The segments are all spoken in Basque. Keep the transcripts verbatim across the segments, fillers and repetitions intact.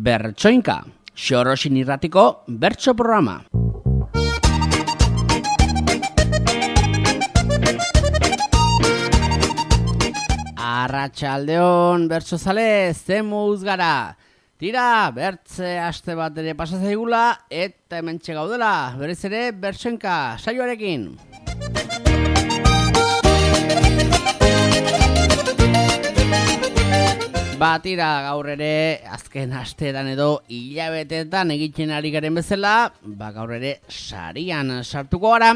Bertsoinka, Xorosin irratiko bertso programa. Arratsaldeon bertsozale, zemuz gara. Tira, bertze aste bat ere pasazaigula eta hementxe gaudela, berez ere Bertsoinka saioarekin. Batira gaur ere azken asteetan edo hilabeteetan egiten ari garen bezala, ba gaur ere sarian sartuko gara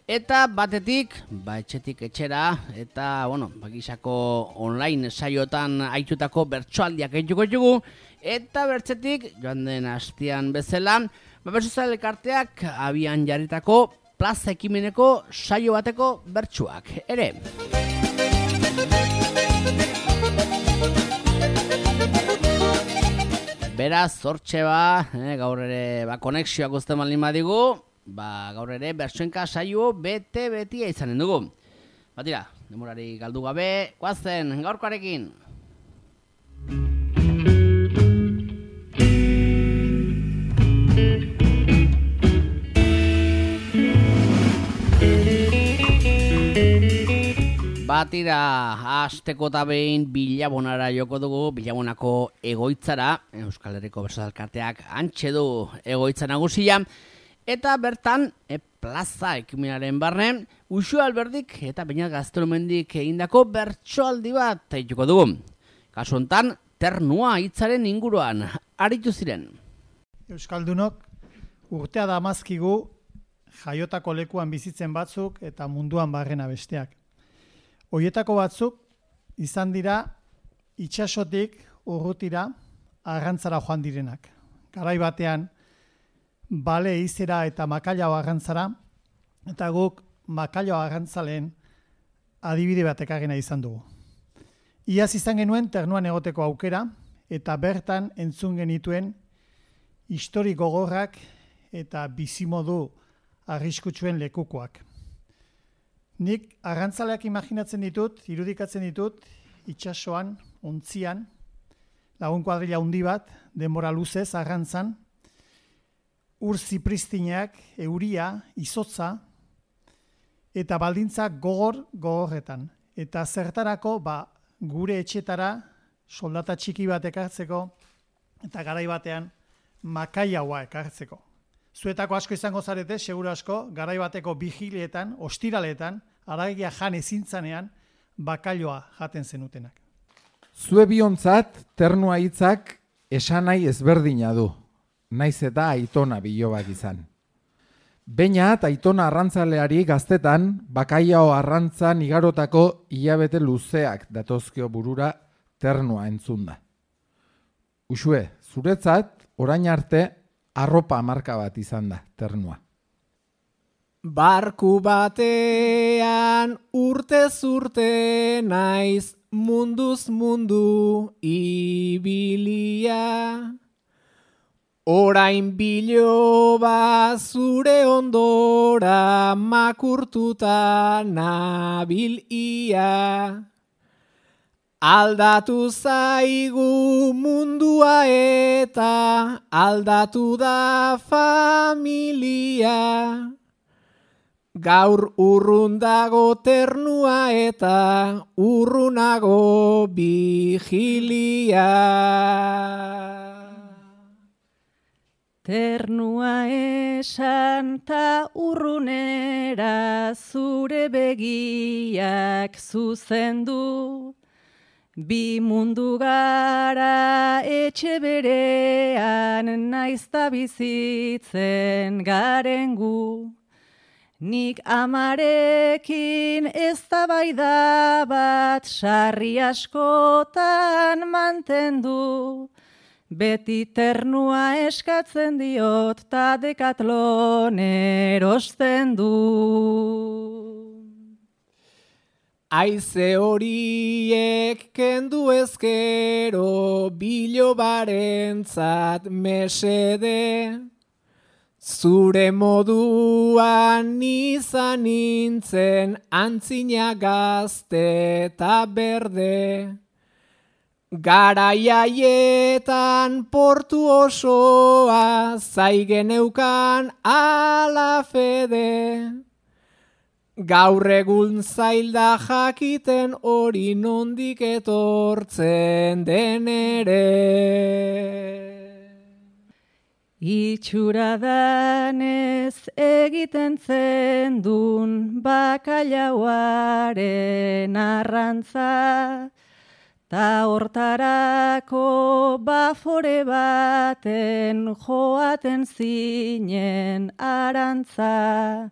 eta batetik, ba etxetik etxera eta bueno, bakisako online saiotan aitutako bertsoaldiak egituko ditugu eta bertzetik joan den astean bezala, ba bertsozale elkarteak abian jarritako plaza ekimeneko saio bateko bertsuak ere. Beraz, zortxe ba, eh, gaur ere ba, konexioak uzten baldin badigu, ba, gaur ere Bertsoinka saio bete-betia izanen dugu. Batira, demorari galdu gabe, guazen, gaurkoarekin. Batira, hasteko eta behin Bilabonara joko dugu, Bilabonako egoitzara, Euskal Herriko Bertso Elkarteak hantxe du egoitza nagusia, eta bertan e, plaza ekimenaren barne, Uxue Alberdik eta Beñat Gaztelumendik egindako bertsoaldi bat egituko dugu. Kasu honetan, ternua hitzaren inguruan aritu ziren. Euskaldunok urtea damazkigu jaiotako lekuan bizitzen batzuk eta munduan barrena besteak. Hoietako batzuk izan dira itsasotik urrutira arrantzara joan direnak. Garai batean bale izera eta Makallao arrantzara eta guk Makallao arrantzaleen adibide bat ekarrena izan dugu. Iaz izan genuen ternuan egoteko aukera eta bertan entzun genituen histori gogorrak eta bizimodu arriskutsuen lekukoak. Nik arrantzaleak imaginatzen ditut, irudikatzen ditut, itsasoan, ontzian, lagun kuadrilla handi bat, denbora luzez, arrantzan, ur zipristineak, euria, izotza, eta baldintza gogor gogorretan. Eta zertarako, ba, gure etxetara, soldata txiki bat ekartzeko, eta garai batean, Makailaoa ekartzeko. Zuetako asko izango zarete, seguru asko, garai bateko vigilietan, ostiraletan, aragia jan ezintzanean, bakailoa jaten zenutenak. Zue biontzat, ternua hitzak esanai ezberdina du, naiz eta Aitona bilobak izan. Beñat Aitona arrantzaleari gaztetan, Bakailao arrantzan igarotako hilabete luzeak datozkio burura ternua entzunda. Uxue, zuretzat, orain arte, arropa marka bat izan da, ternua. Barku batean urtez urte naiz munduz mundu ibilia. Orain biloba zure ondora makurtuta nabil ia. Aldatu zaigu mundua eta aldatu da familia. Gaur urrundago ternua eta urrunago vigilia. Ternua esan ta urrunera zure begiak zuzendu. Bi mundu gara etxe berean naizta bizitzen garen gu. Nik amarekin eztabaida bat sarri askotan mantendu. Beti ternua eskatzen diot ta Decathlon erosten du. Aize horiek kendu ezkero bilobarentzat mesede. Zure moduan izan nintzen antzina gazte eta berde. Garaiaietan portu osoa zaigeneukan ala fede. Gaur egun zailda jakiten hori nondik etortzen den ere. Itxura danez egiten zendun bakalauaren arrantza, ta hortarako bafore baten joaten zinen arantza.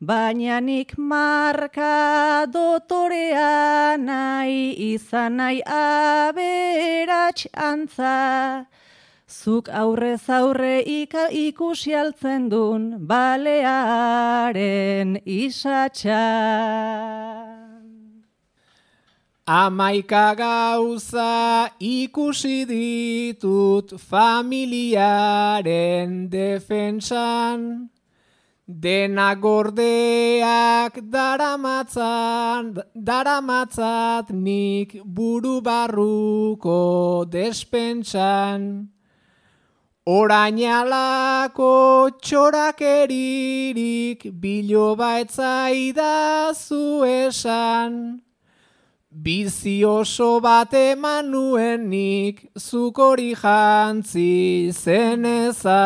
Baina nik marka dotorea nahi izan nahi aberats antza. Zuk aurrez aurre ika ikusi altzen dun balearen isatxa. Amaika gauza ikusi ditut familiaren defentsan, dena gordeak daramatzan, daramatzat nik buru barruko despentsan. Orain alako txorakeririk biloba etzaidazu esan. Bizi oso bat eman nuen nik zuk hori jantzi zenezan.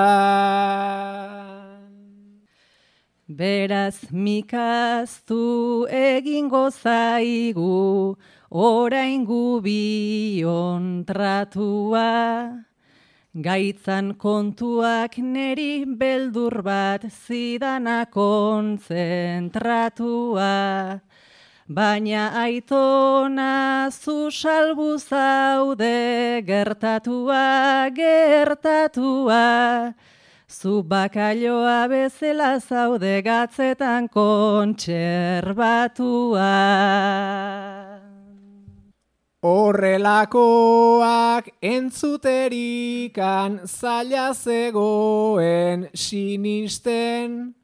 Beraz mikaztu egingo zaigu orain gubion tratua. Gaitzan kontuak neri beldur bat zidana kontzentratua. Baina aitona zu salbu zaude gertatua, gertatua. Zu bakailoa bezala zaude gatzetan kontserbatua. Horrelakoak entzuterikan zaila zegoen sinisten,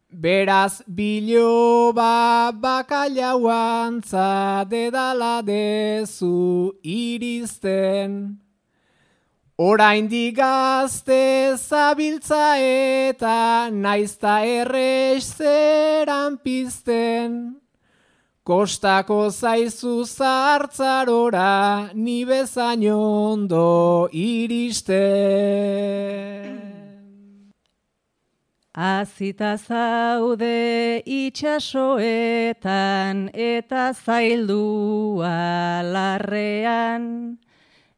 beraz biloba bakailauantza dedala dezu iristen. Oraindik gazte zabiltza eta naizta errez zeran pizten. Kostako zaizu zartzarora ni bezain ondo iristen. Azita zaude itxasoetan eta zaildua larrean,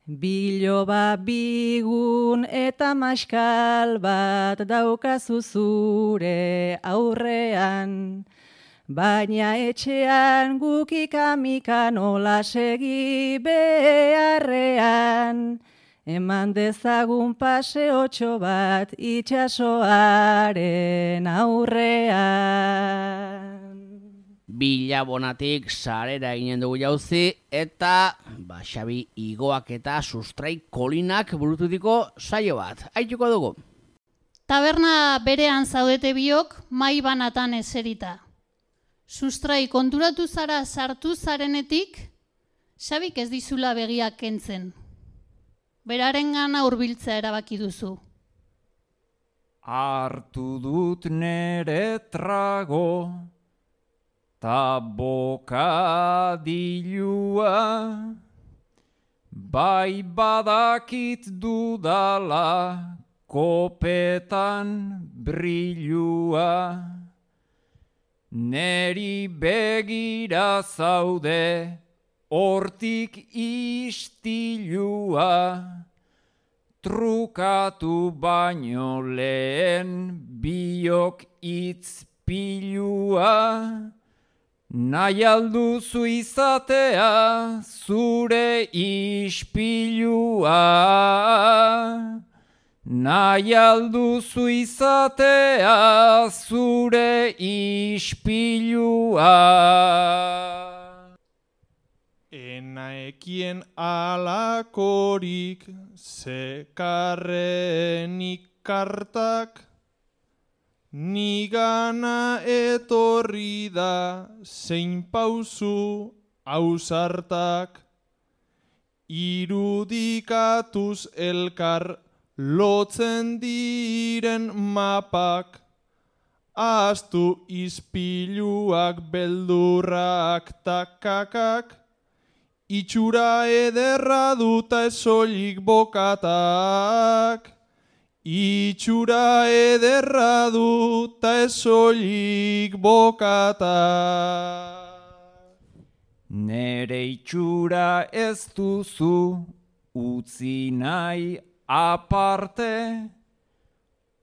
biloba bigun eta maskal bat daukazu zure aurrean. Baina etxean gukikamikan nola segi beharrean, eman dezagun paseotxo bat itxasoaren aurrean. Bilabonatik sarera eginen dugu jauzi eta ba, Xabi Igoak eta Sustrai Kolinak burututiko saio bat. Aituko dugu. Taberna berean zaudete biok mai banatan eserita. Sustrai, konturatu zara sartu zarenetik, Xabik ez dizula begiak kentzen. Beraren gana hurbiltzea erabaki duzu. Hartu dut nere trago, ta bokadilua, bai badakit dudala, kopetan brilua. Neri begira zaude, hortik istilua, trukatu baino lehen biok itzpilua. Nahi alduzu izatea zure ispilua. Nahi alduzu izatea zure ispilua. Enaekien alakorik zekarrenik kartak, nigana etorri da zein pauzu ausartak. irudikatuz elkar lotzen diren mapak, ahaztu izpiluak, beldurrak takakak, itxura ederra duta ez soilik bokatak. Itxura ederra duta ez soilik bokatak. Nere itxura ez duzu utzi nahi aparte,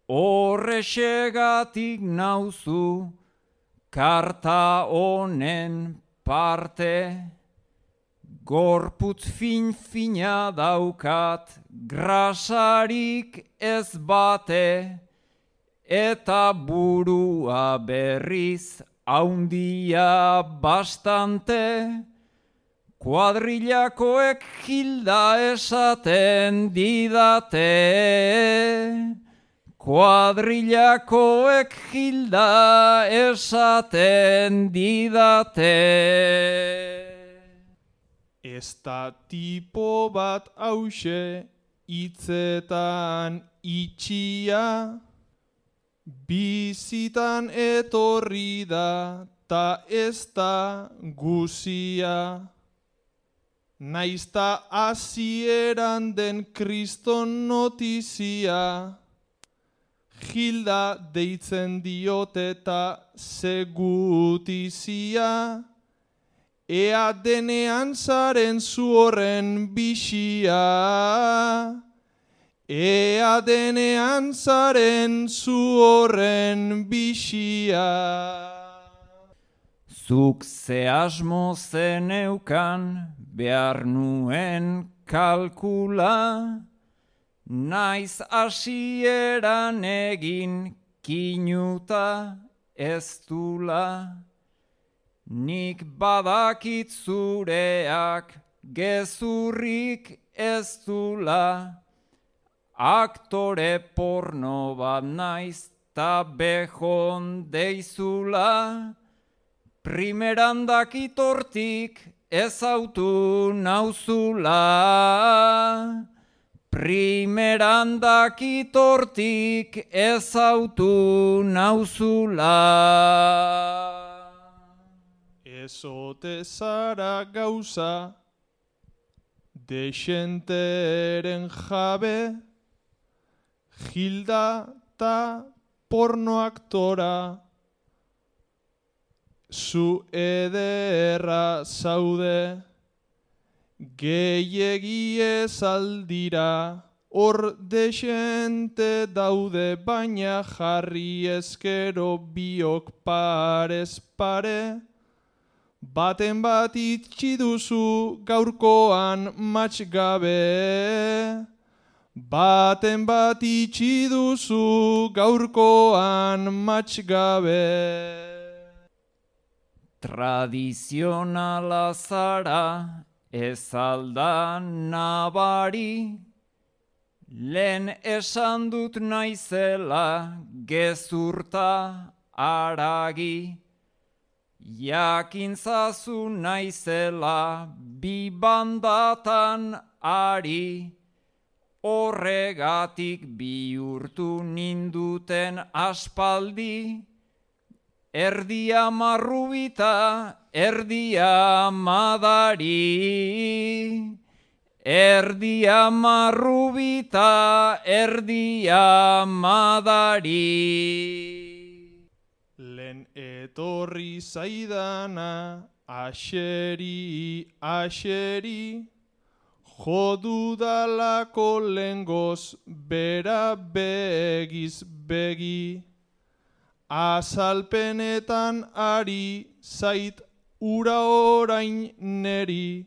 horrexegatik nauzu karta honen parte. Gorputz fin-fina daukat, grasarik ez bate, eta burua berriz haundia bastante. Kuadrillakoek Hilda esaten didate, kuadrillakoek Hilda esaten didate. Ez da tipo bat hause hitzetan itxia, bizitan etorri da ta ez da guzia. Naizta hasieran den kriston notizia, Hilda deitzen diote ta segutizia. Ea denean zaren zu horren bixia, ea denean zaren zu horren bixia. Zuk ze asmo zeneukan behar nuen kalkula, naiz hasieran egin kinuta ez dula. Nik badakit zureak gezurrik ez dula, aktore porno bat naiz ta bejon deizula, primeran dakit hortik ezautu nauzula, primeran dakit hortik ezautu nauzula. Ezote zara gauza, dexenteren jabe, Hilda ta porno aktora, zu ederra zaude, gehiegi ez aldira, hor dexente daude, baina jarri ezkero biok parez pare, baten bat itxi duzu gaurkoan matx gabe, baten bat itxi duzu gaurkoan matx gabe. Tradizionala zara ez alda nabari, lehen esan dut naizela gezurta haragi. Jakintzazu naizela bi bandatan ari, horregatik bihurtu ninduten aspaldi, erdia marrubita, erdia madari, erdia marrubita, erdia madari. Lehen etorri zaidana, aseri, aseri, jodudalako lengoz bera begiz begi. Azalpenetan ari zait ura orain neri,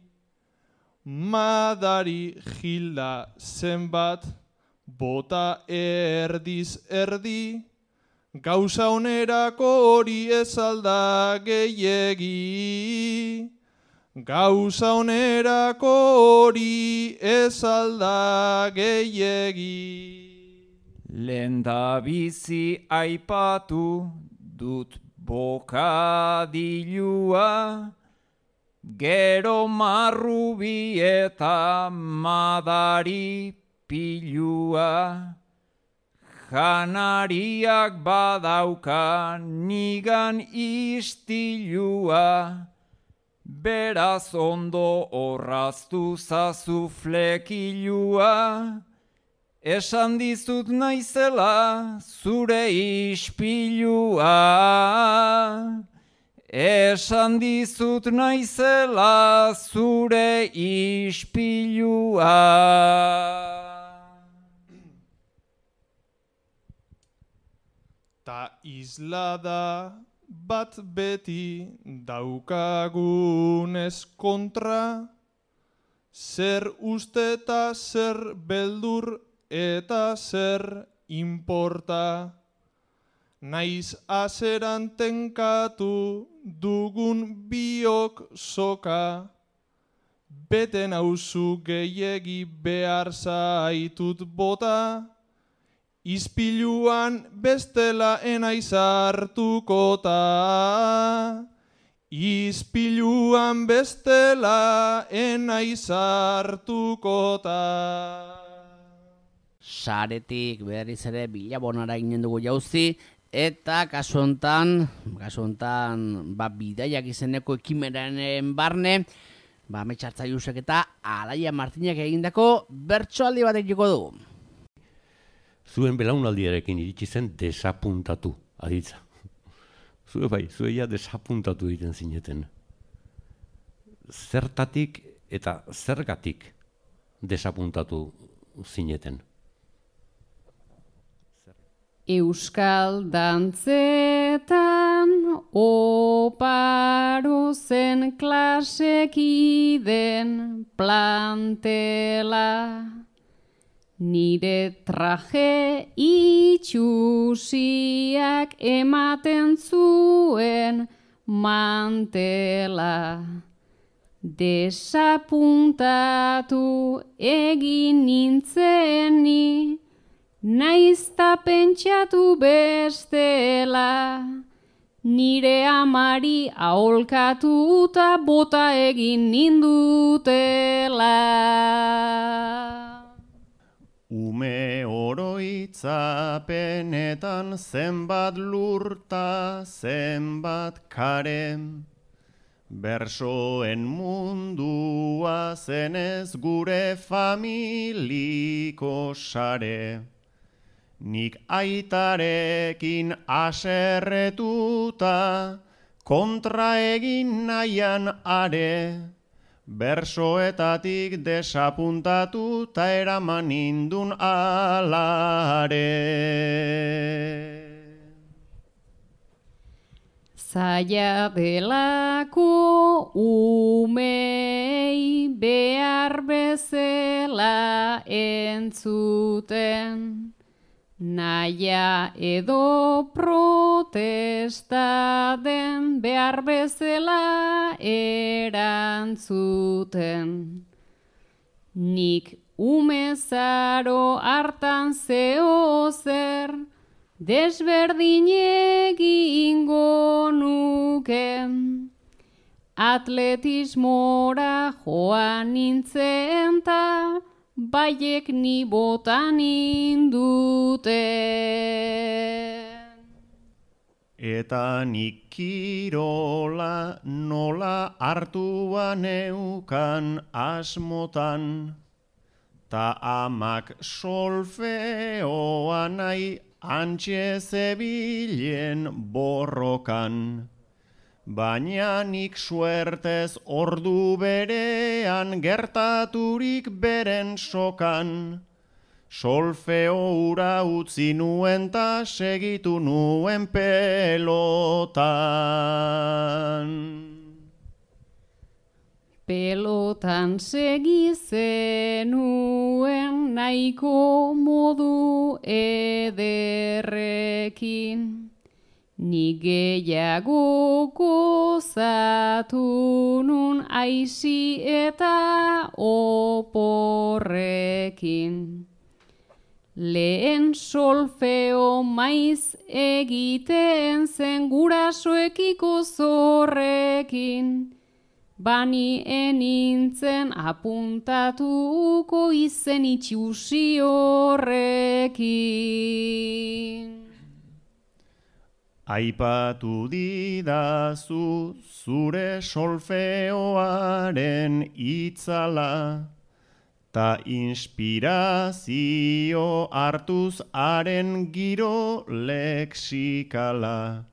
madari Hilda zenbat bota erdiz erdi, gauza onerako hori ez alda gehiegi, gauza onerako hori ez alda gehiegi. Lenda bizi aipatu dut bokadilua, gero marrubi eta madari pilua, janariak badauka nigan istilua, beraz ondo orraztu zazu flekilua, esan dizut naizela zure ispilua, esan dizut naizela zure ispilua. Ta islada bat beti daukagunez kontra, zer uste eta zer beldur eta zer inporta. Naiz azeran tenkatu dugun biok soka, bete nauzu gehiegi behar zaitut bota, ispiluan bestela enaiz hartukota, ispiluan bestela enaiz hartukota. Saretik berriz ere bilabonara ginen dugu jauzi, eta kasu hontan, kasu hontan, ba, bidaiak izeneko ekimenaren barne, ba, Ametxartzaiusek eta Alaia Martinek egindako bertsoaldi bat egiko dugu. Zuen belaunaldiarekin iritsi zen desapuntatu, aditza. Zue bai, zue ja desapuntatu egiten zineten. Zertatik eta zergatik desapuntatu zineten? Euskal dantzetan oparo zen klasekiden plantela, nire traje itxusiak ematen zuen mantela. Desapuntatu egin nintzeni, naizta pentsatu bestela, nire amari aholkatu eta bota egin nindutela. Ume oroitzapenetan zenbat lurta, zenbat kare, bersoen mundua zenez gure familiko sare. Nik aitarekin aserretuta, kontra egin nahian are, bersoetatik desapuntatu ta eraman nindun alare. Zaila delako umei behar bezala entzuten, naia edo protesta den behar bezala erantzuten. Nik umezaro hartan zeo zer, desberdin egingo nuken. Atletismora joan nintzen ta, baiek ni botan induten. Eta nik kirola nola hartua neukan asmotan, ta amak solfeoa nahi antxe zebilen borrokan. Baina nik suertez ordu berean gertaturik beren sokan, solfeo ura utzi nuen ta segitu nuen pelotan. Pelotan segi zenuen nahiko modu ederrekin, ni gehiago gozatu nun aisi eta oporrekin. Lehen solfeo maiz egiten zen gurasoekiko zorrekin, bani enintzen apuntatuko izen itxusi horrekin. Aipatu didazu zure solfeoaren itzala, ta inspirazio hartuz haren giro leksikala.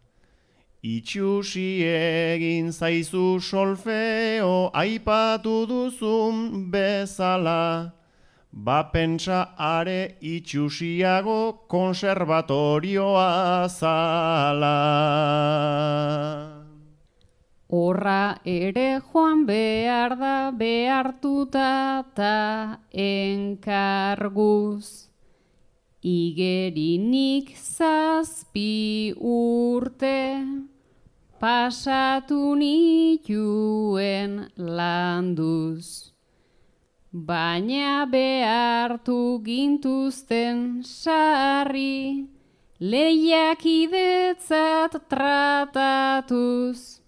Itxusi egin zaizu solfeo aipatu duzun bezala, ba pentsa are itxusiago konservatorioa zala. Horra ere joan behar da behartuta ta enkarguz. Igerinik zazpi urte pasatu nituen landuz. Baina behartu gintuzten sarri, lehiakidetzat tratatuz.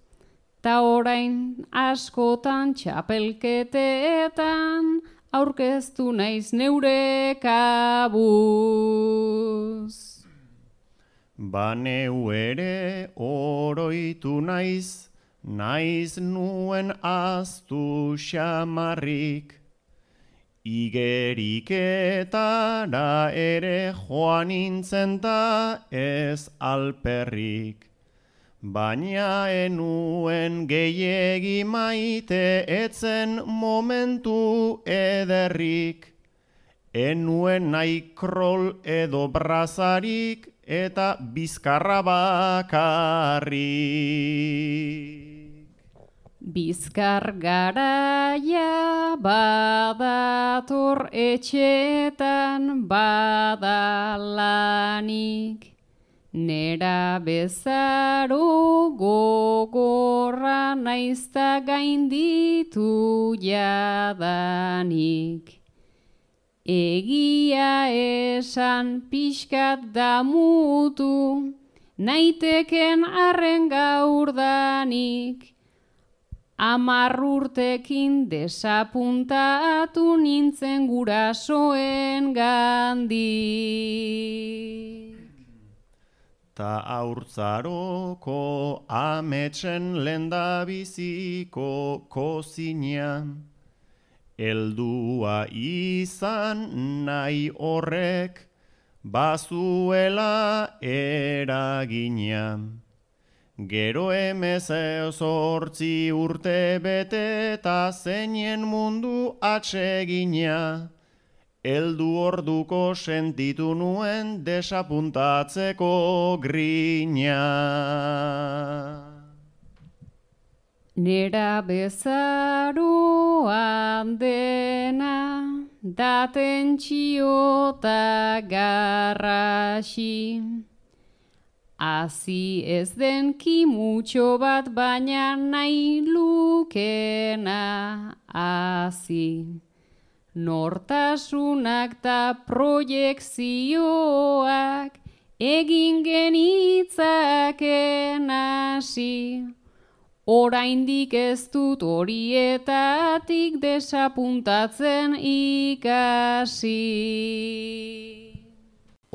Ta orain askotan txapelketeetan, aurkeztu naiz neure kabuz. Baneu ere oroitu naiz, naiz nuen aztu xamarrik. Igeriketara ere joan nintzen ta ez alperrik. Baina enuen gehiegi maite etzen momentu ederrik. Enuen nahi krol edo brazarik eta bizkarra bakarrik. Bizkar garaia badator etxetan badalanik. Nera bezaro gogorra naizta gainditu jadanik. Egia esan pixkat damutu, naiteken arren gaurdanik. Amar urtekin desapuntatu nintzen gurasoen gandik. Ta haurtzaroko ametsen lendabiziko kozinean, heldua izan nahi horrek bazuela eragina. Gero hemezortzi urte bete eta zeinen mundu atsegina. Heldu orduko sentitu nuen desapuntatzeko grina. Nera bezaroan dena, daten txiota garrasi. Hazi ez den kimutxo bat baina nahi lukena hazi. Nortasunak ta proiekzioak egin genitzaken hasi. Oraindik ez dut horietatik desapuntatzen ikasi.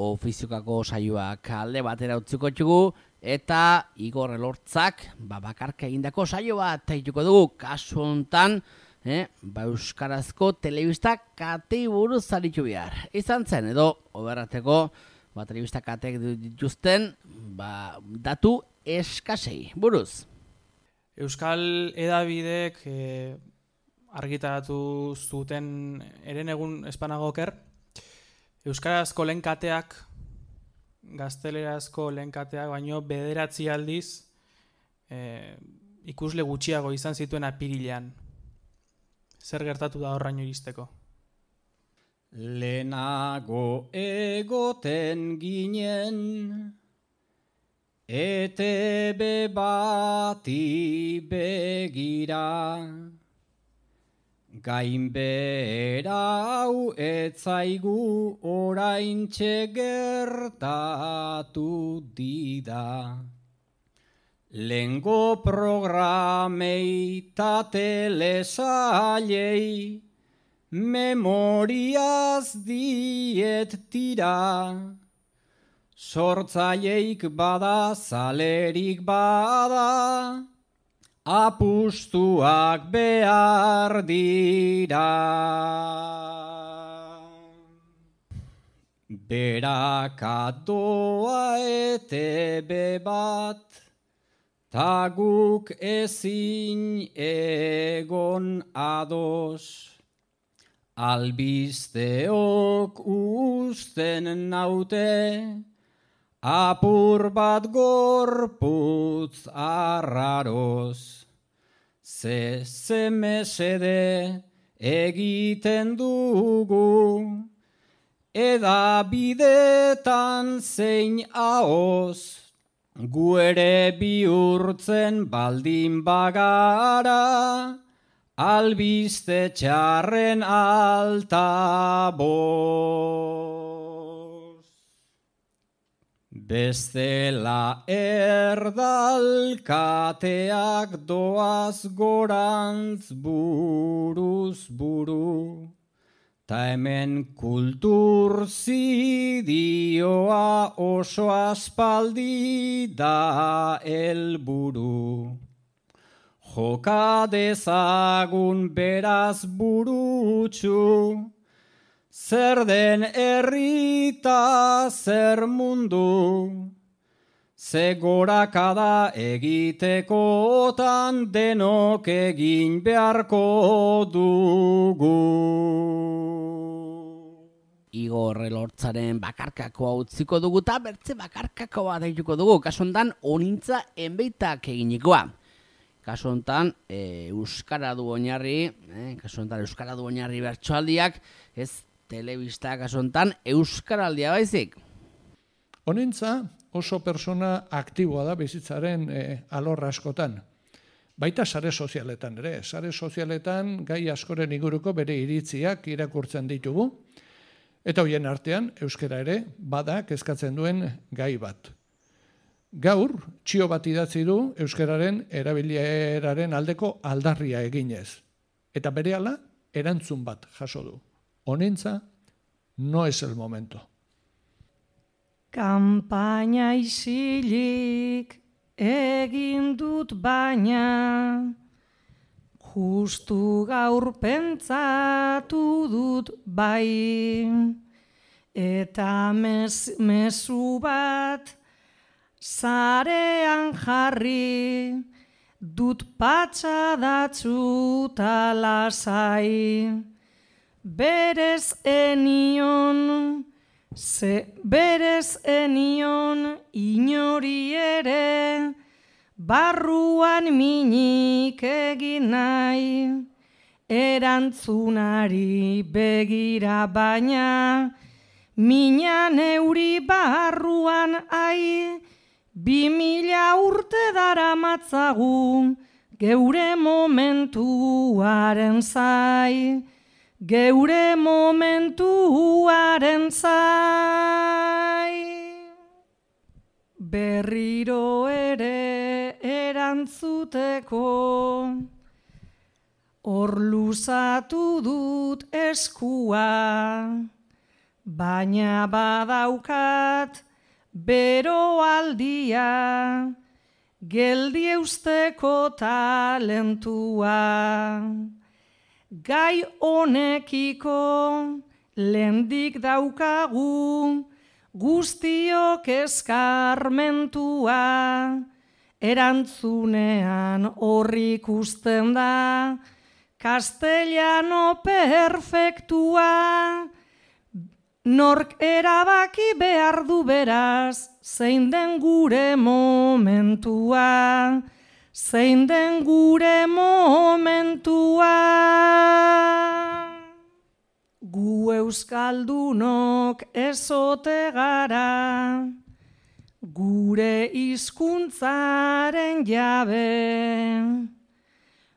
Ofiziokako saioak alde batera utziko txugu, eta Igor Elortzak babakarka egindako saio bat taituko dugu, kasu hontan, eh, ba euskarazko telebista katei buruz aritu behar. Izan zen, edo, oberrateko, ba telebista kateek dituzten, ba datu eskasei buruz. Euskal edabidek eh, argitaratu zuten eren egun espanagoker, euskarazko lehen kateak, gaztelerazko lehen kateak, baino bederatzi aldiz eh, ikusle gutxiago izan zituen apirilean. Zer gertatu da horraino iristeko? Lehenago egoten ginen, E T B bati begira, gainbehera hau etzaigu oraintxe gertatu dida. Lengo programei ta telesailei, memoriaz diet tira. Sortzaileik bada, zalerik bada, apustuak behar dira. Berakatoa etebe bat, ta guk ezin egon ados. Albisteok usten naute, apur bat gorputz arraroz. Ze ze mesede egiten dugu, eda bidetan zein ahoz. Gu ere bihurtzen baldin bagara, albiste txarren altaboz. Bestela erdalkateak doaz gorantz buruz buru, ta hemen kultur zidioa oso aspaldi da helburu. Joka dezagun beraz burutsu, zer den herrita zer mundu, ze gorakada egitekotan denok egin beharko dugu. Igor Elortzaren bakarkakoa utziko dugu eta bertze bakarkakoa daituko dugu, kasu hontan onintza enbeitak eginikoa. Kasu hontan e, euskara du oinarri, eh, kasu hontan euskara du oinarri bertsoaldiak, ez telebista kasu hontan euskaraldia baizik. Honentza oso persona aktiboa da bizitzaren e, alor askotan. Baita sare sozialetan ere, sare sozialetan gai askoren inguruko bere iritziak irakurtzen ditugu, eta hoien artean euskara ere bada kezkatzen duen gai bat. Gaur, txio bat idatzi du euskararen erabileraren aldeko aldarria eginez. Eta berehala erantzun bat jaso du. Honentza, no es el momento. Kanpaina isilik egin dut baina, justu gaur pentsatu dut bai, eta mes, mezu bat zarean jarri, dut patxadatzu ta lasai, berez enion, ze berez enion inori ere, barruan minik egin nahi, erantzunari begira baina, mina neuri barruan ai, bi mila urte daramatzagu, geure momentuaren zai, geure momentuaren zai. Berriro ere erantzuteko, hor luzatu dut eskua, baina badaukat beroaldia, geldi eusteko talentua. Gai honekiko lehendik daukagu, guztiok eskarmentua, erantzunean horri ikusten da, castellano perfektua, nork erabaki behar du beraz, zein den gure momentua, zein den gure momentua. Gu euskaldunok ezote gara, gure hizkuntzaren jabe,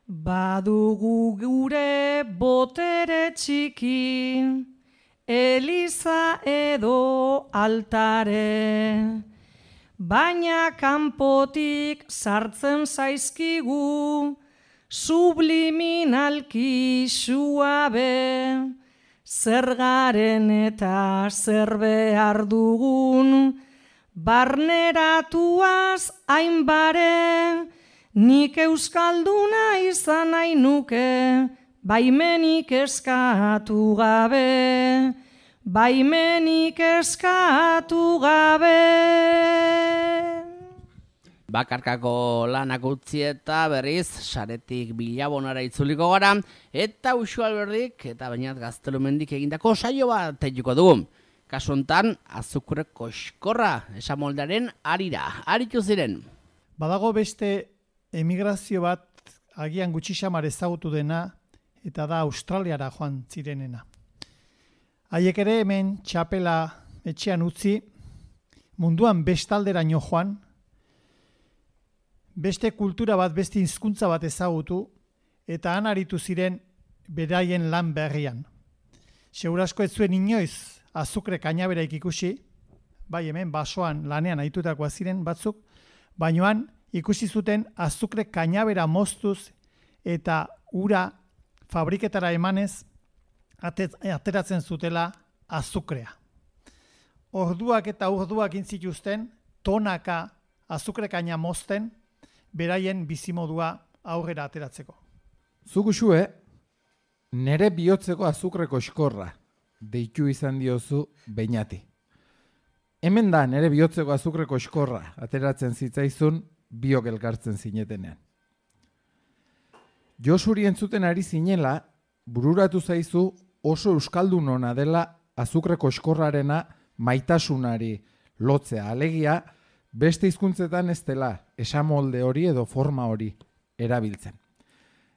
badugu gure botere txiki, eliza edo altare, baina kanpotik sartzen zaizkigu, subliminalki suabe, zer garen eta zer behar dugun, barneratuaz hainbare, nik euskalduna izan nahi nuke, baimenik eskatu gabe, baimenik eskatu gabe. Bakarkako lanak utzi eta berriz saretik bilabonara itzuliko gara, eta Uxu Alberdik eta Beñat Gaztelumendik egindako saio bat teituko dugu. Kasu hontan, azukre koxkorra esamoldaren arira, aritu ziren. Badago beste emigrazio bat agian gutxi xamar ezagutu dena, eta da Australiara joan zirenena. Haiek ere hemen txapela etxean utzi, munduan bestalderaino joan, beste kultura bat, beste hizkuntza bat ezagutu, eta han aritu ziren beraien lan berrian. Segurasko ez zuen inoiz azukre kainaberaik ikusi, bai hemen basoan lanean aitutakoa ziren batzuk, bainoan ikusi zuten azukre kainabera moztuz eta ura fabriketara emanez ateratzen zutela azukrea. Orduak eta orduak intzituzten tonaka azukre kaina mozten beraien bizimodua aurrera ateratzeko. Zuk Uxue, nere bihotzeko azukre koxkorra deitu izan diozu Beñati. Hemen da nere bihotzeko azukre koxkorra ateratzen zitzaizun biok elkartzen zinetenean. Josuri entzuten ari zinela, bururatu zaizu oso euskaldun ona dela azukre koxkorrarena maitasunari lotzea. Alegia, beste hizkuntzetan ez dela esamolde hori edo forma hori erabiltzen.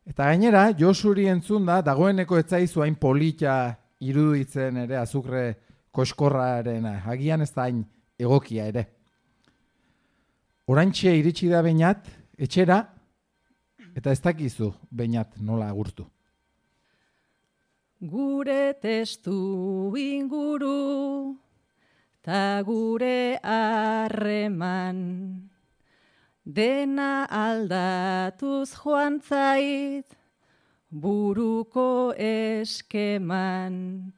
Eta gainera, Josuri entzun da, dagoeneko ez zaizu hain polita iruditzen ere azukre koxkorrarena. Agian ez da hain egokia ere. Oraintxe iritsi da Beñat, etxera, eta ez dakizu Beñat nola agurtu. Gure testu inguru, ta gure harreman, dena aldatuz joan zait, buruko eskeman.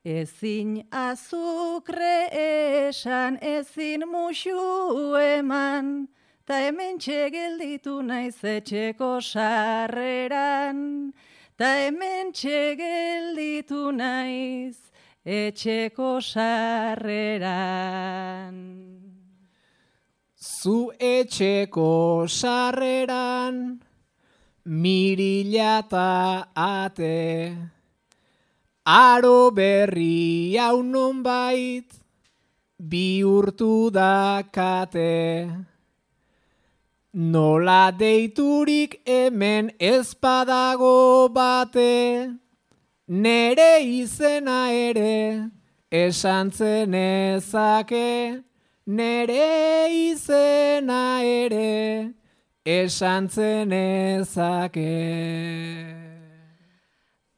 Ezin azukre esan, ezin musu eman, ta hemen txegelditu naiz etxeko sarreran, ta hemen txegelditu naiz etxeko sarreran. Zu etxeko sarreran, mirila ta ate, aro berri hau nonbait, bihurtu dakate. Nola deiturik hemen ez badago bate, nere izena ere esan zenezake, nere izena ere esan zenezake.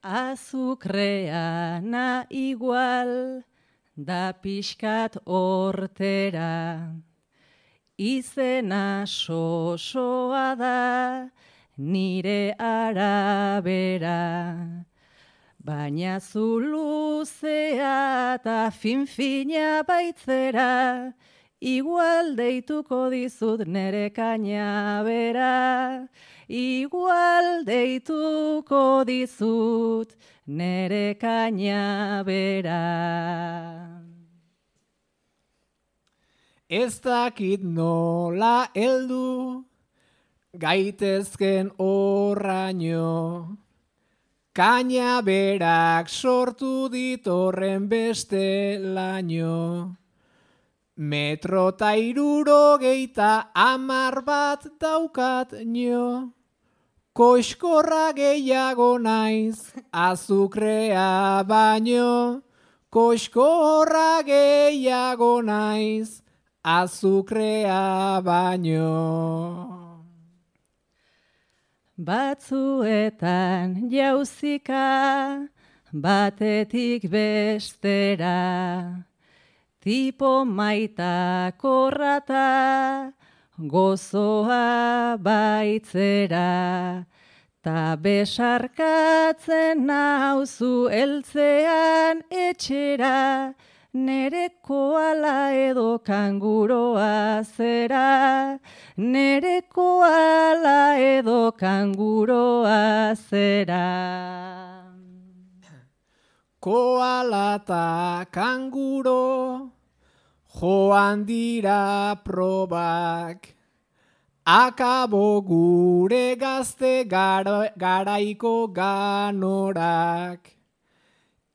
Azukreana igual da pixkat hortera, izena sosoa da nire arabera, baina zu luzea eta finfina baitzera, igual deituko dizut nere kainabera, igual deituko dizut nere kainabera. Ez dakit nola heldu, gaitezken horraino, kainaberak sortu ditorren beste laino. Metro ta hirurogeita hamar bat daukat nio, koxkorra gehiago naiz, azukrea baino, koxkorra gehiago naiz, azukrea baino. Batzuetan jauzika, batetik bestera, tipo maita korrata, gozoa baitzera, ta besarkatzen nauzu eltzean etxera, nere koala edo kanguroa zera, nere koala edo kanguroa zera. Koala ta kanguro, joan dira probak, akabo gure gazte gara, garaiko ganorak.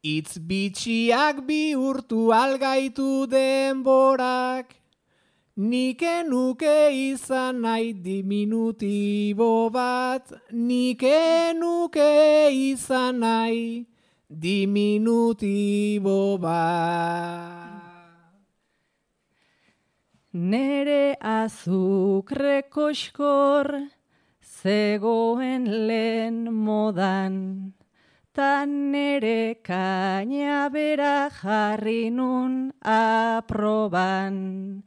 Itz bitxiak bihurtu algaitu denborak, nike nuke izan nahi diminutibo bat, nike nuke izan nahi diminutibo bat. Nere azukre koskor zegoen lehen modan, ta nere kaina bera jarri nun aproban.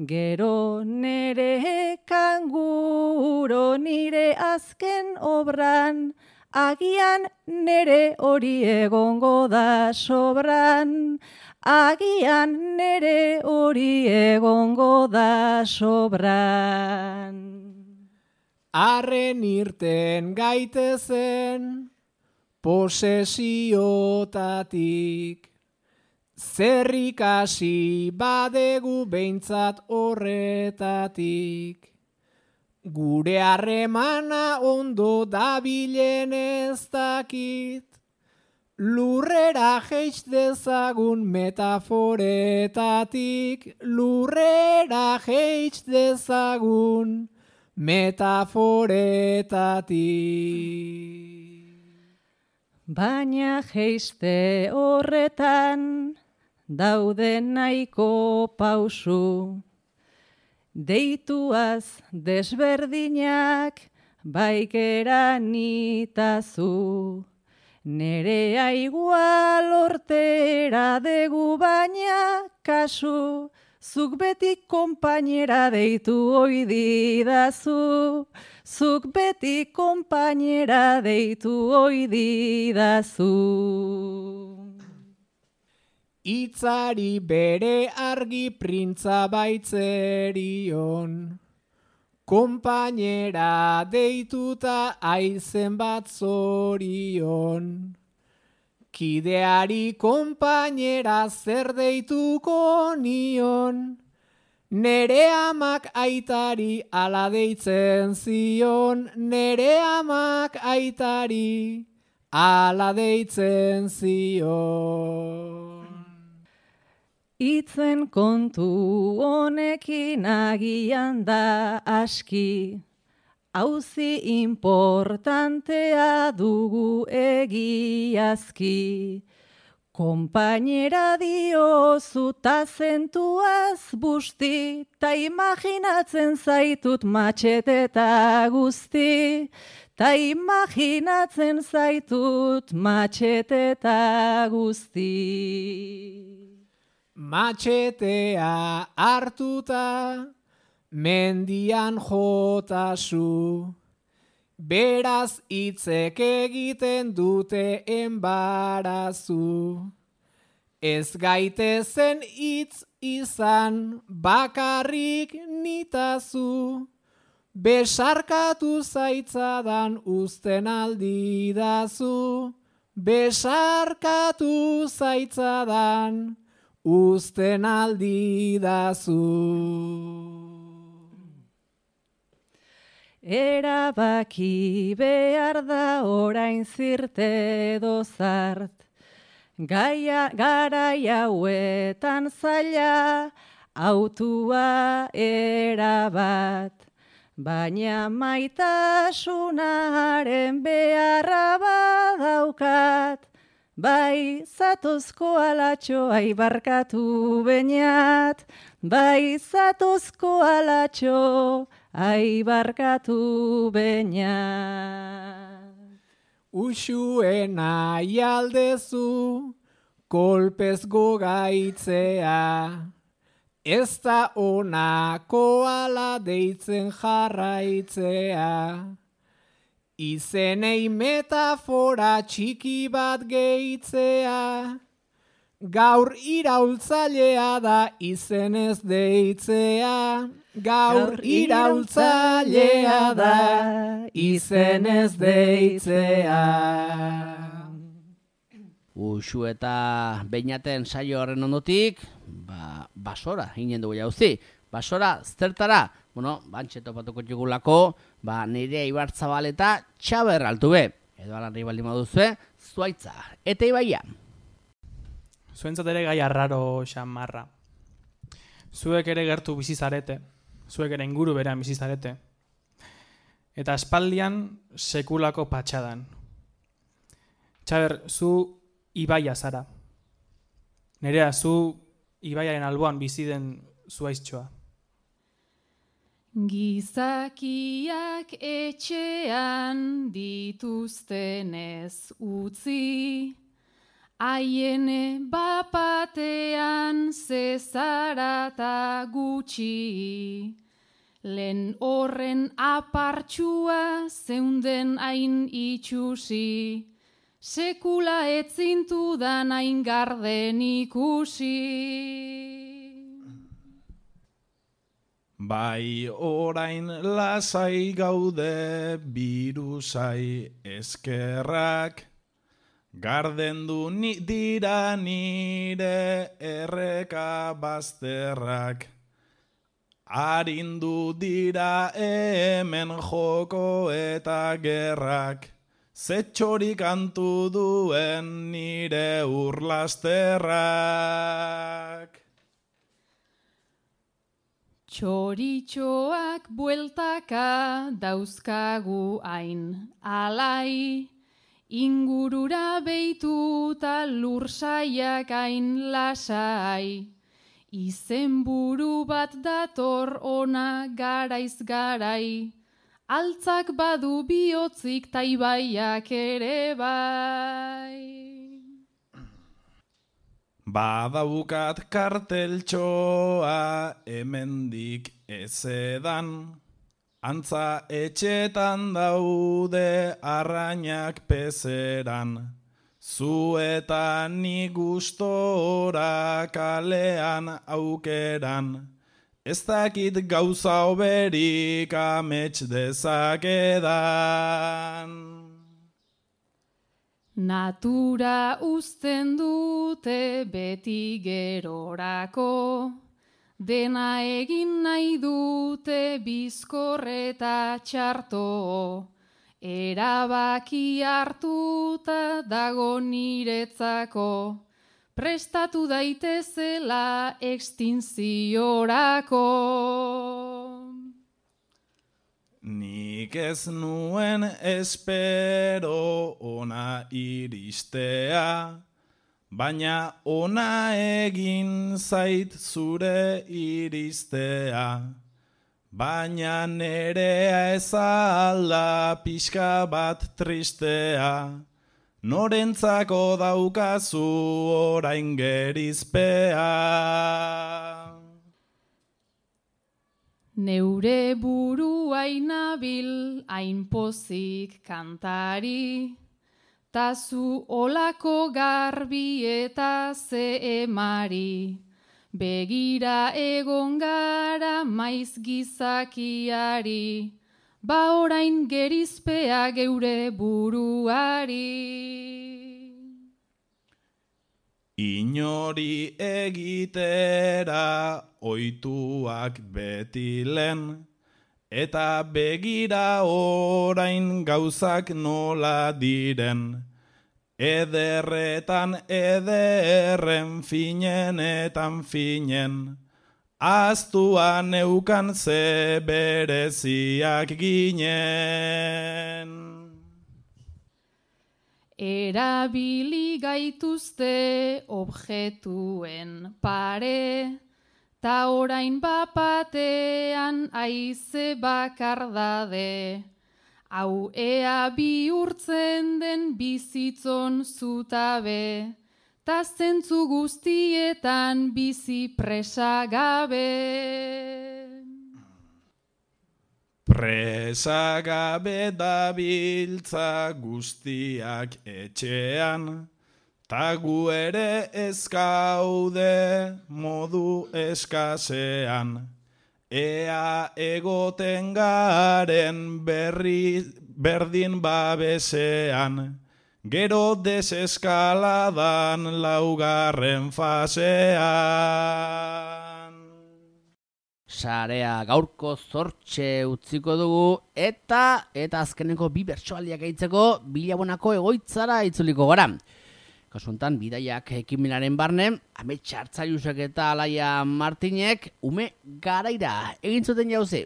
Gero nere kanguro nire azken obran, agian nere hori egongo da sobran, agian nere hori egongo da sobran. Arren irten gaitezen posesiotatik, zer ikasi badegu behintzat horretatik. Gure harremana ondo dabilen ez dakit, lurrera jeitz dezagun metaforetatik, lurrera jeitz dezagun metaforetatik. Baina jeiste horretan daude nahiko pausu, deituaz desberdinak baikera nitazu. Nerea igual ortera degu baina kasu, zuk beti konpainera deitu oi didazu, zuk beti konpainera deitu oi didazu. Itzari bere argi printza baitzerion, konpainera deituta aizen bat zorion. Kideari konpainera zer deituko nion, nere amak aitari ala deitzen zion, nere amak aitari ala deitzen zion. Itzen kontu honekin agian da aski, auzi importantea dugu egiazki. Konpainera diozu ta zentuaz busti, ta imaginatzen zaitut matxeteta guzti, ta imaginatzen zaitut matxeteta guzti. Matxetea hartuta, mendian jotazu, beraz hitzek egiten dute enbarazu. Ez gaitezen hitz izan bakarrik nitazu, besarkatu zaitzadan uzten aldidazu, besarkatu zaitzadan uzten aldidazu. Erabaki behar da orain zirte edo zart, gaia garai hauetan zaila autua erabat, baina maitasunaren beharra badaukat, bai zatozko alatxo aibarkatu beinat, bai zatozko alatxo aibarkatu beinat. Uxuen nahi aldezu, kolpez gogaitzea, ez da onako ala deitzen jarraitzea. Izenei metafora txiki bat gehitzea, gaur iraultzailea da izenez deitzea. Gaur iraultzailea da izenez deitzea. Uxu eta beinaten saio horren ondotik, ba, basora, ginen dugu jauzi. Basora, zertara? Bueno, bantxe topatuko txugulako, ba, Nerea Ibarzabal eta Txaber Altube. Edo alarri baldin baduzue, Zuaitza eta Ibaia. Zuentzat ere gai arraro xamarra. Zuek ere gertu bizizarete, zuek ere inguru berean bizizarete. Eta aspaldian sekulako patxadan. Txaber, zu Ibaia zara. Nerea, zu Ibaiaren alboan bizi den zuaiztxoa. Gizakiak etxean dituztenez utzi, haiene bapatean zezarata gutxi, lehen horren apartxua zeunden hain itxusi, sekula etzintudan hain garden ikusi. Bai orain lasai gaude birusai eskerrak, gardendu ni dira nire erreka bazterrak. Arindu dira hemen joko eta gerrak, zetxorik antu duen nire urlasterrak. Txoritxoak bueltaka dauzkagu hain alai, ingurura beituta lursaiak hain lasai. Izenburu bat dator ona garaiz garai, altzak badu bihotzik ta Ibaiak ere bai. Badaukat karteltxoa hemendik ezedan, antza etxetan daude arrainak pezeran, zu eta ni gustora kalean aukeran, ez dakit gauza oberik amets dezakedan. Natura uzten dute beti gerorako, dena egin nahi dute bizkor eta txarto, erabaki hartuta dago niretzako, prestatu daitezela extinziorako. Nik ez nuen espero ona iristea, baina ona egin zait zure iristea. Baina nerea ez alda pixka bat tristea, norentzako daukazu orain gerizpea. Neure burua inabil hain pozik kantari, ta zu olako garbi eta ze emari, begira egon gara maiz gizakiari, ba orain gerizpea geure buruari. Inori egitera oituak beti lehen, eta begira orain gauzak nola diren, ederretan ederren finenetan finen, aztuan neukan ze bereziak ginen. Erabili gaituzte objetuen pare, ta orain bapatean aize bakardade, hau ea bihurtzen den bizitzon zutabe, ta zentzu guztietan bizi presagabe. Presagabe dabiltza guztiak etxean, ta gu ere ez gaude modu eskasean. Ea egoten garen berri berdin babesean, gero deseskaladan laugarren fasean. Sarea gaurko zortxe utziko dugu eta eta azkeneko bi bertsoaldiak gehitzeko Bilabonako egoitzara itzuliko gara. Kasu honetan, bidaiak ekimenaren barne, Amets Hartzailusek eta Alaia Martinek ume garaira egin zuten jauzi.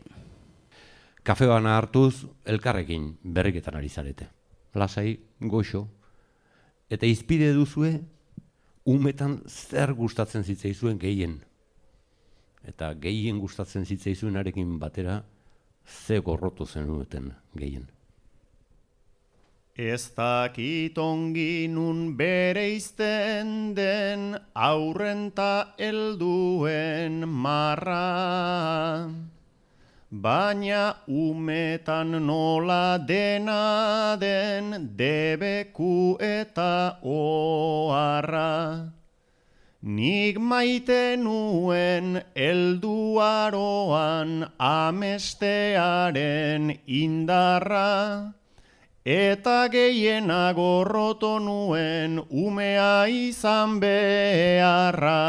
Kafe bana hartuz, elkarrekin berriketan ari zarete. Lasai, goxo. Eta izpide duzue, umetan zer gustatzen zitzaizuen gehien. Eta gehien gustatzen zitzaizuenarekin batera, ze gorrotu zenuten gehien. Ez dakit ongi nun bereizten den aurrenta helduen marra, baina umetan nola dena den debeku eta oharra. Nik maite nuen helduaroan amestearen indarra, eta gehiena gorroto nuen umea izan beharra.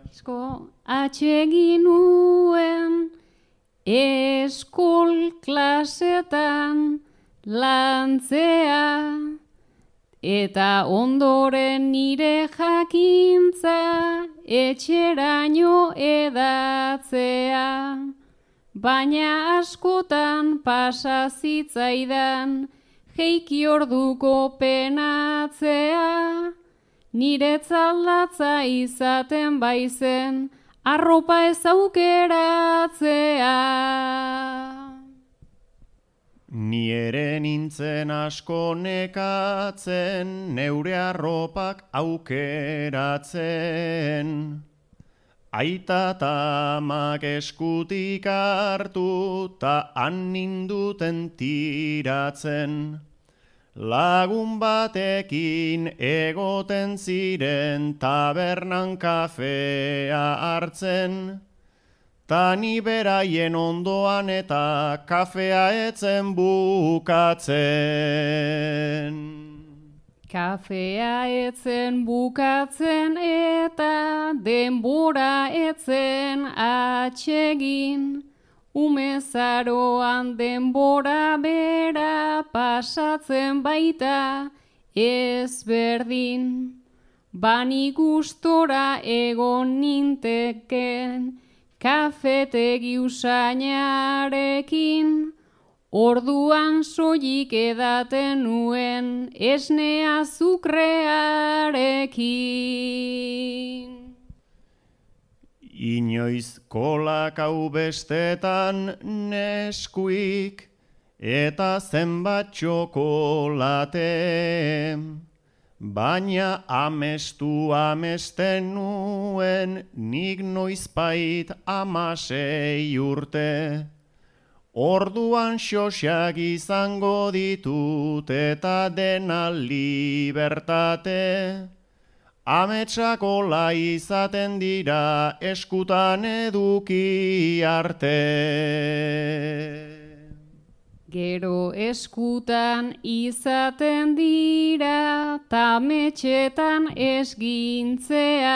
Asko atxegin nuen eskol klasetan lantzea, eta ondoren nire jakintza etxeraino edatzea. Baina askotan pasa zitzaidan jeiki orduko penatzea, niretzat latza izaten baizen arropa ez aukeratzea. Ni ere nintzen asko nekatzen neure arropak aukeratzen. Aita eta amak eskutik hartu ta han ninduten tiratzen. Lagun batekin egoten ziren tabernan kafea hartzen. Ta ni beraien ondoan eta kafea etzen bukatzen. Kafea etzen bukatzen eta denbora etzen atsegin. Umezaroan denbora bera pasatzen baita ezberdin. Bani gustora egon ninteken kafetegi usainarekin. Orduan soilik edaten nuen esne azukrearekin. Inoiz kolak hau bestetan neskuik eta zenbat txokolate. Baina amestu amesten nuen nik noizbait amasei urte. Orduan xoxak izango ditut eta dena libertate. Ametsak ola izaten dira eskutan eduki arte. Gero eskutan izaten dira ta ametsetan esgintzea.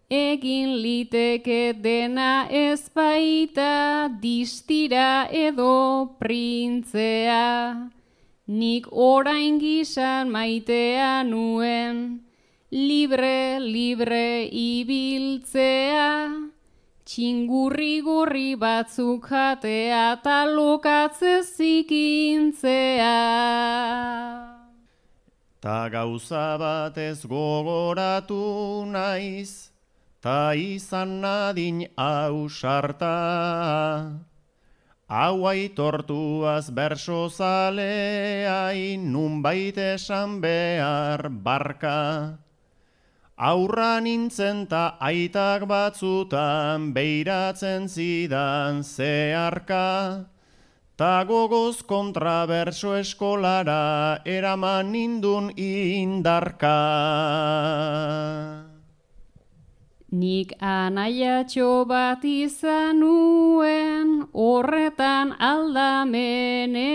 Egin liteke dena ezbaita distira edo printzea. Nik orain gizan maitea nuen, libre, libre ibiltzea. Txingurri gorri batzuk jatea ta lokatze zikintzea. Ta gauza bat ez gogoratu naiz, ta izan nadin ausarta. hau aitortuaz berso zaleai nunbait esan behar barka. Aurra nintzen ta aitak batzutan beiratzen zidan zeharka. Ta gogoz kontraberso eskolara eraman nindun indarka. Nik anaiatxo bat izan nuen horretan aldamenean,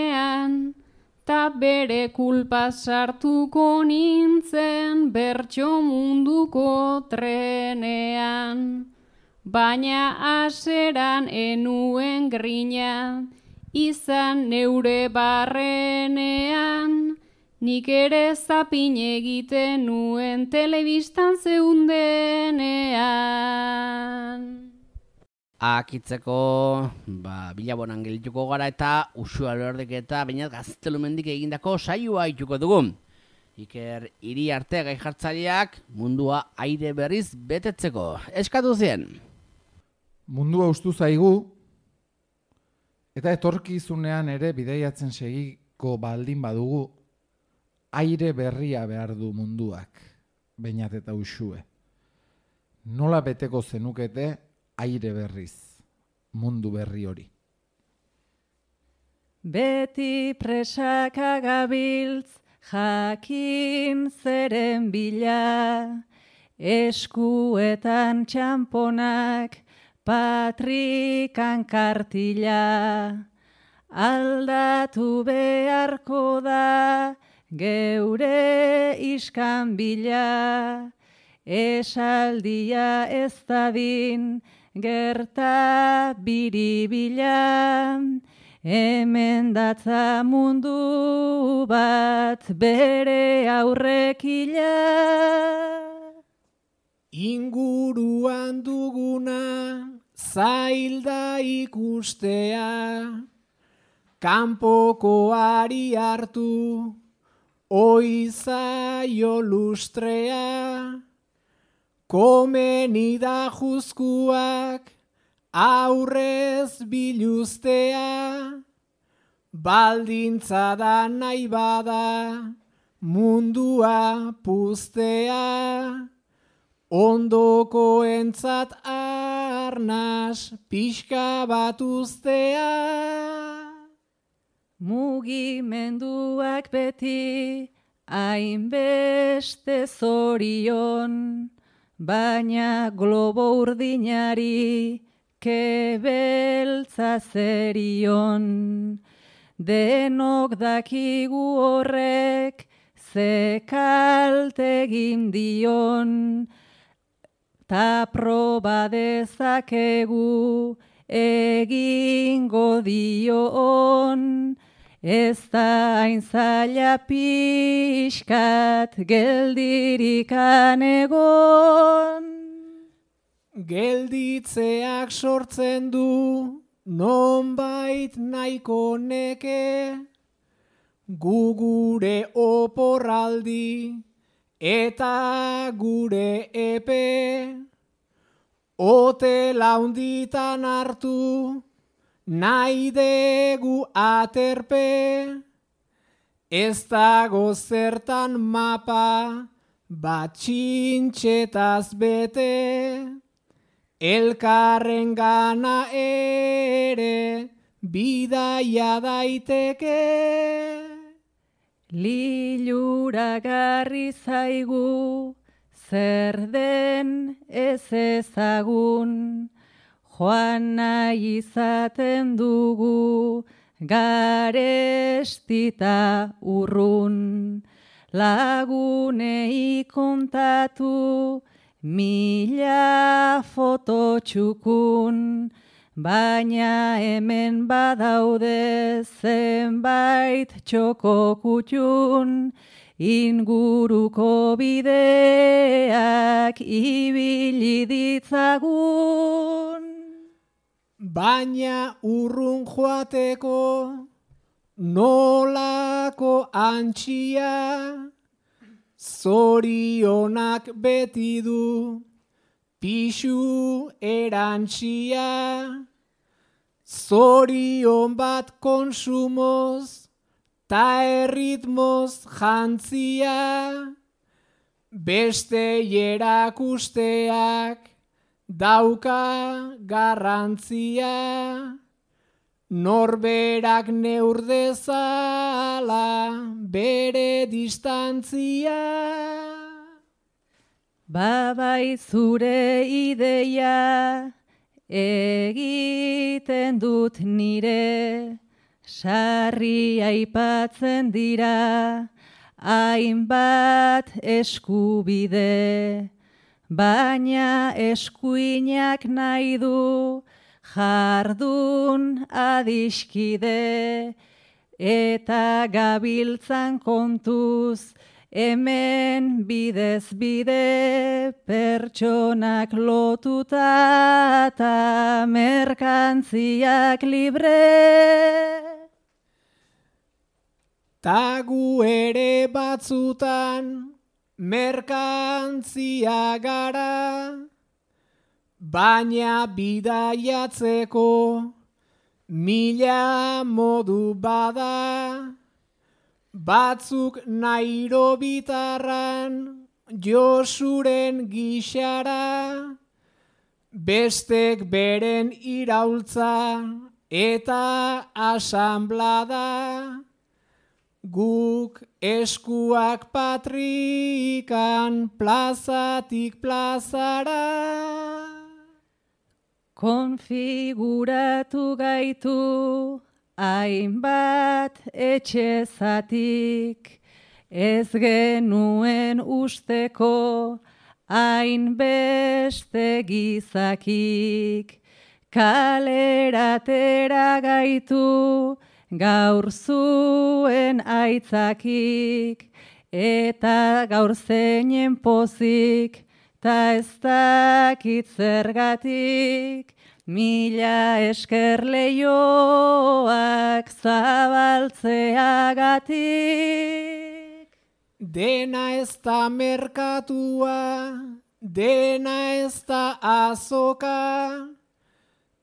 ta bere kulpa sartuko nintzen bertso munduko trenean. Baina aseran enuen grina, izan neure barrenean, nik ere zapin egiten nuen telebistan zeundenean. Akitzeko, ba, bilabonan gelituko gara eta Uxue Alberdik eta Beñat Gaztelumendik egindako saioa ituko dugu. Iker Iriarte gai jartzaileak mundua aire berriz betetzeko. Eskatu zien. Mundua ustu zaigu, eta etorkizunean ere bidaiatzen segiko baldin badugu, aire berria behar du munduak, Beñat eta Uxue. Nola beteko zenukete aire berriz, mundu berri hori? Beti presaka gabiltz jakin zeren bila, eskuetan txamponak, patrikan kartila. Aldatu beharko da geure iskan bila, esaldia ez dadin gerta biribila, hemen datza mundu bat bere aurrekila. Inguruan duguna zailda ikustea, kanpokoari hartu oizaio lustrea, komeni da juzkuak aurrez biluztea, baldintza da nahi bada mundua puztea, ondoko entzat arnaz pixka bat uztea. Mugimenduak beti hainbeste zorion, baina globo urdinari kebeltza zerion. Denok dakigu horrek ze kalte egin dion, ta proba dezakegu egingo dion, ez da hain zaila pixkat geldirikan egon. Gelditzeak sortzen du nonbait nahiko neke, gu gure oporraldi eta gure epe, hotela hunditan hartu nahi degu aterpe, ez dago zertan mapa bat txintxetaz bete, elkarren gana ere bidaia daiteke. Liluragarri zaigu zer den ez ezagun, joan nahi izaten dugu garestita urrun. Lagunei kontatu mila foto txukun, baina hemen badaude zenbait txoko kutxun, inguruko bideak ibili ditzagun. Baina urrun joateko nolako antxia, zorionak beti du pixu erantxia. zorion bat konsumoz, ta erritmoz jantzia, beste erakusteak dauka garrantzia, norberak neur dezala bere distantzia. Babai zure ideia egiten dut nire, sarri aipatzen dira hainbat eskubide, baina eskuinak nahi du jardun adiskide, eta gabiltzan kontuz hemen bidez bide, pertsonak lotuta eta merkantziak libre. Ta gu ere batzutan merkantzia gara, baina bidaiatzeko mila modu bada. Batzuk Nairobitarran Josuren gixara, bestek beren iraultza eta asanblada, guk eskuak patrikan plazatik plazara. Konfiguratu gaitu hainbat etxezatik, ez genuen usteko hainbeste gizakik, kaleratera gaitu gaur zuen aitzakik, eta gaur zeinen pozik, ta ez dakit zergatik, mila esker leioak zabaltzeagatik. Dena ez da merkatua, dena ez da azoka,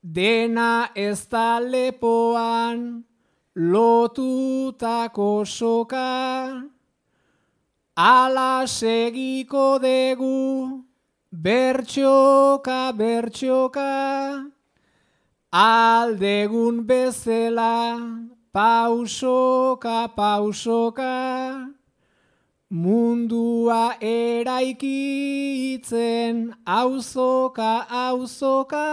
dena ez da lepoan lotutako soka. Ala segiko degu, bertxoka, bertxoka, aldegun bezela, pausoka, pausoka, mundua eraikitzen, auzoka, auzoka.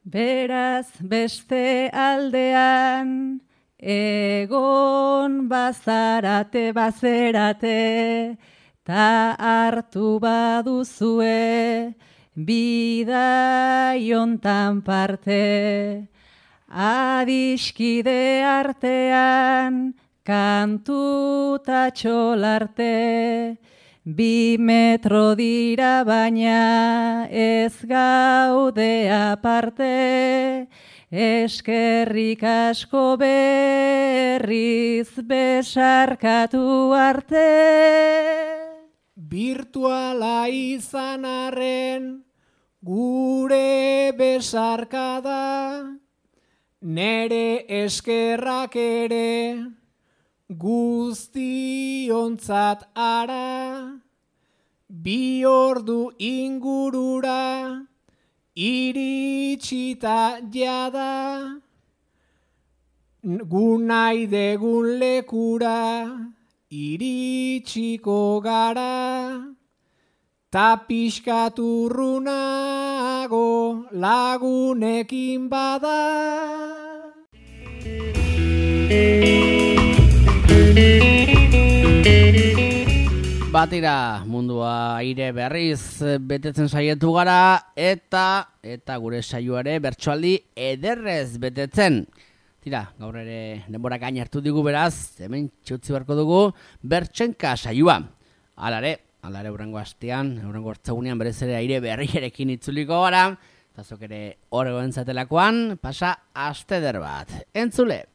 Beraz beste aldean, egon bazarate, bazerate, ta hartu baduzue bidaiontan parte, adiskide artean kantu ta txolarte, bi metro dira baina ez gaude aparte, eskerrik asko berriz besarkatu arte. Virtuala izan arren gure besarkada, nere eskerrak ere guztiontzat ara, bi ordu ingurura iritsita jada, gu nahi degun lekura iritsiko gara, ta pixkaturrunago lagunekin bada. Batira mundua aire berriz betetzen saietu gara, eta eta gure saioare bertsoaldi ederrez betetzen. Tira, gaur ere denbora gain hartu digu beraz, hemen txutzi beharko dugu bertsenka saioa. Alare, alare hurrengo astean, hurrengo hartzagunean berez ere aire berriarekin itzuliko gara, eta zok ere horregoen zatelakoan, pasa aste eder bat. Entzule!